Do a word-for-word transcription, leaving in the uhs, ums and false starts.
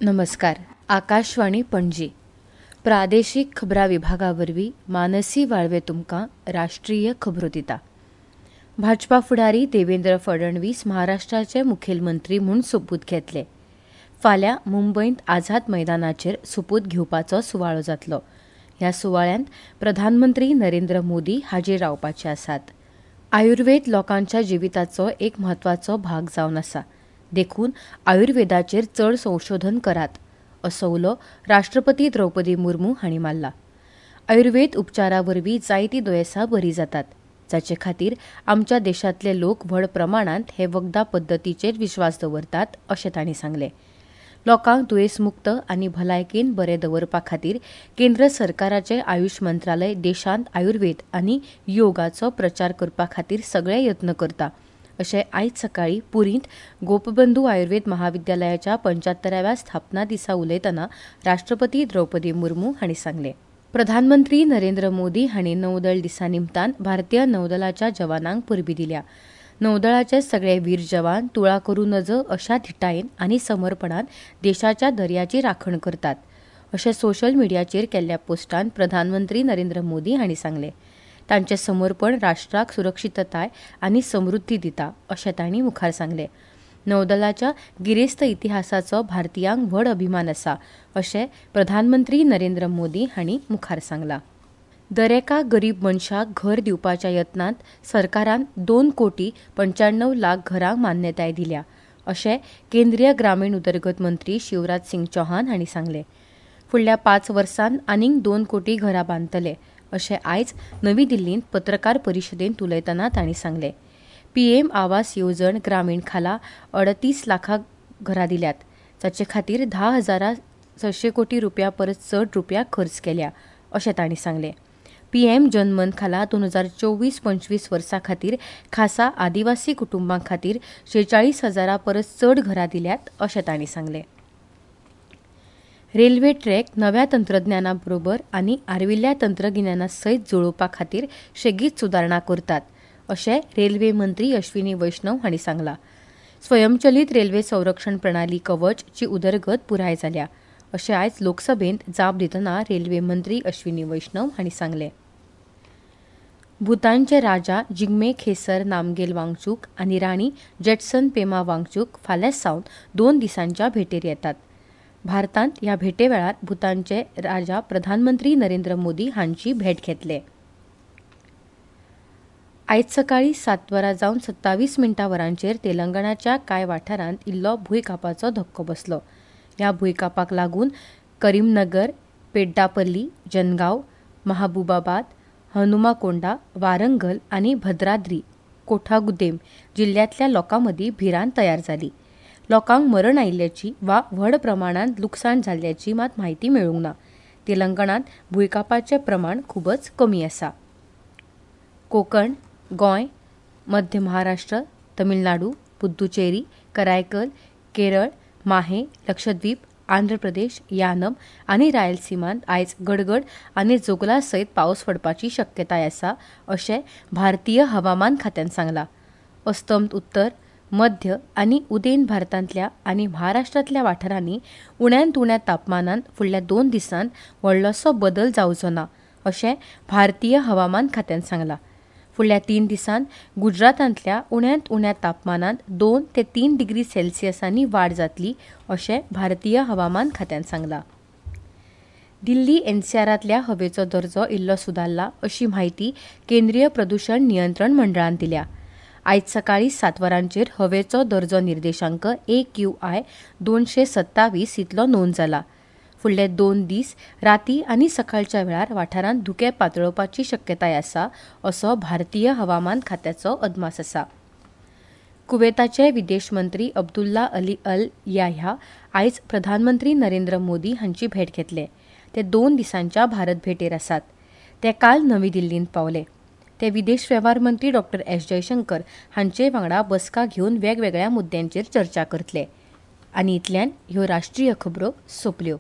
नमस्कार. आकाशवाणी पणजी प्रादेशीक खबरां विभागा वरवीं मानसी वाळवे तुमकां राष्ट्रीय खबरो दिता. भाजपा फुडारी देवेंद्र फडणवीस महाराष्ट्राचे मुखेलमंत्री म्हूण सोपूत घेतले. फाल्यां मुंबयंत आझाद मैदानाचेर सोपूत घेवपाचो सुवाळो जातलो. ह्या सुवाळ्यांत प्रधानमंत्री नरेंद्र मोदी हाजीर रावपाचे आसात. आयुर्वेद लोकांच्या जिविताचो एक म्हत्वाचो भाग जावन आसा, देखून आयुर्वेदाचेर चड संशोधन करात, असो उलो राष्ट्रपती द्रौपदी मुर्मू हांणी मारला. आयुर्वेद उपचारा वरवीं जायतीं दुयेंसां बरीं जातात, जाचे खातीर आमच्या देशांतले लोक व्हड प्रमाणांत हे वखदां पद्दतीचेर विश्वास दवरतात, अशें तांणी सांगलें. लोकांक दुयेंसमुक्त आनी भलायकेन बरे दवरपा खातीर केंद्र सरकाराचें आयुष मंत्रालय देशांत आयुर्वेद आनी योगाचो प्रचार करपा खातीर सगळे यत्न करता, अशें आयज सकाळीं पुरींत गोपबंधू आयुर्वेद महाविद्यालयाच्या पंच्यात्तराव्या स्थापना दिसा उलयतना राष्ट्रपती द्रौपदी मुर्मू हांणी सांगलें. प्रधानमंत्री नरेंद्र मोदी हांणी नौदळ दिसा निमतान भारतीय नौदलाच्या जवानांक परबीं दिल्या. नौदळाचे सगळे वीर जवान तुळा करूं नजो अशा धिटायेन आनी समर्पणान देशाच्या दर्याची राखण करतात, अशें सोशल मिडियाचेर केल्ल्या पोस्टांत प्रधानमंत्री नरेंद्र मोदी हांणी सांगलें. तांचें समर्पण राष्ट्राक सुरक्षितताय आनी समृद्धी दिता, अशें तांणी मुखार सांगलें. नौदलाच्या गिरेस्त इतिहासाचो भारतीयांक व्हड अभिमान आसा, अशें प्रधानमंत्री नरेंद्र मोदी हांणी मुखार सांगलां. दरेका गरीब मनशाक घर दिवपाच्या यत्नांत सरकारान दोन कोटी पंच्याण्णव लाख घरांक मान्यताय दिल्या, अशें केंद्रीय ग्रामीण उदरगत मंत्री शिवराज सिंग चौहान हांणी सांगलें. फुडल्या पांच वर्सांत आनीक दोन कोटी घरां बांदतले, अशें आयज नवी दिल्लींत पत्रकार परिशदेंत उलयतना तांणी सांगलें. पीएम आवास येवजण ग्रामीण खाला अडतीस लाखां घरां दिल्यात, जाचे खातीर धा हजारा सशे कोटी रुपया परस चड रुपया खर्च केल्या, अशें तांणी सांगलें. पीएम जनमन खाला दोन हजार चोवीस पंचवीस वर्सां खातीर खासा आदिवासी कुटुंबां खातीर शेचाळीस हजारा परस चड घरां दिल्यात, अशें तांणी सांगलें. रेल्वे ट्रॅक नव्या तंत्रज्ञाना बरोबर आनी आर्विल्ल्या तंत्रगिन्याना सयत जुळोवपा खातीर सेगीत सुदारणा करतात, अशें रेल्वे मंत्री अश्विनी वैष्णव हांणी सांगलां. स्वयंचलीत रेल्वे संरक्षण प्रणाली कवचची उदरगत पुराय जाल्या, अशें आयज लोकसभेंत जाप दितना रेल्वे मंत्री अश्विनी वैष्णव हांणी सांगलें. भूतानचे राजा जिग्मे खेसर नामगेल वांगचूक आनी राणी जेटसन पेमा वांगचूक फाल्यां सावन दोन दिसांच्या भेटेर येतात. भारतांत ह्या भेटे वेळार भूतानचे राजा प्रधानमंत्री नरेंद्र मोदी हांची भेट घेतले. आयज सकाळीं सात वरां जावन सत्तावीस मिनटां वरांचेर तेलंगणाच्या कांय वाठारांत इल्लो भुंयकांपाचो धक्को बसलो. ह्या भुंयकांपाक लागून करीमनगर, पेड्डापल्ली, जनगांव, महाबुबाबाद, हनुमाकोंडा, वारंगल आनी भद्राद्री कोठागुदेम जिल्ल्यांतल्या लोकां मदीं भिरांत तयार जाली. लोकांक मरण आयिल्ल्याची वा व्हड प्रमाणांत लुकसाण जाल्ल्याची मात म्हायती मेळूंक ना. तेलंगणांत भुंयकांपाचें प्रमाण खूबच कमी आसा. कोकण, गोंय, मध्य महाराष्ट्र, तमिळनाडू, पुद्दुचेरी, करायकल, केरळ, माहे, लक्षद्वीप, आंध्र प्रदेश, यानम आनी रायलसीमांत आयज गडगड आनी जोगला सयत पावस पडपाची शक्यताय आसा, अशें भारतीय हवामान खात्यान सांगलां. अस्तंत उत्तर, मध्य आनी उदेंत भारतांतल्या आनी महाराष्ट्रांतल्या वाठारांनी उण्यांत उण्या तापमानांत फुडल्या दोन दिसांत व्हडलोसो बदल जावचो ना, अशें भारतीय हवामान खात्यान सांगलां. फुडल्या तीन दिसांत गुजरातांतल्या उण्यांत उण्या तापमानांत दोन ते तीन डिग्री सेल्सियसांनी वाड जातली, अशें भारतीय हवामान खात्यान सांगलां. दिल्ली एनसीआरांतल्या हवेचो दर्जो इल्लो सुदारला, अशी म्हायती केंद्रीय प्रदूशण नियंत्रण मंडळान दिल्या. आयज सकाळीं सात वरांचेर हवेचो दर्जो निर्देशांक ए क्यू I दोनशे सत्तावीस इतलो नोंद जाला. फुडले दोन दीस राती आनी सकाळच्या वेळार वाठारांत धुकें पातळपाची शक्यताय आसा, असो भारतीय हवामान खात्याचो अदमास आसा. कुवेताचे विदेश मंत्री अब्दुल्ला अली अल याह्या आयज प्रधानमंत्री नरेंद्र मोदी हांची भेट घेतले. ते दोन दिसांच्या भारत भेटेर आसात. ते काल नवी दिल्लींत पावले. ते विदेश वेव्हार मंत्री डॉक्टर एस जयशंकर हांचे वांगडा बसका घेवन वेगवेगळ्या मुद्द्यांचेर चर्चा करतले. आनी इतल्यान ह्यो राष्ट्रीय खबरो सोंपल्यो.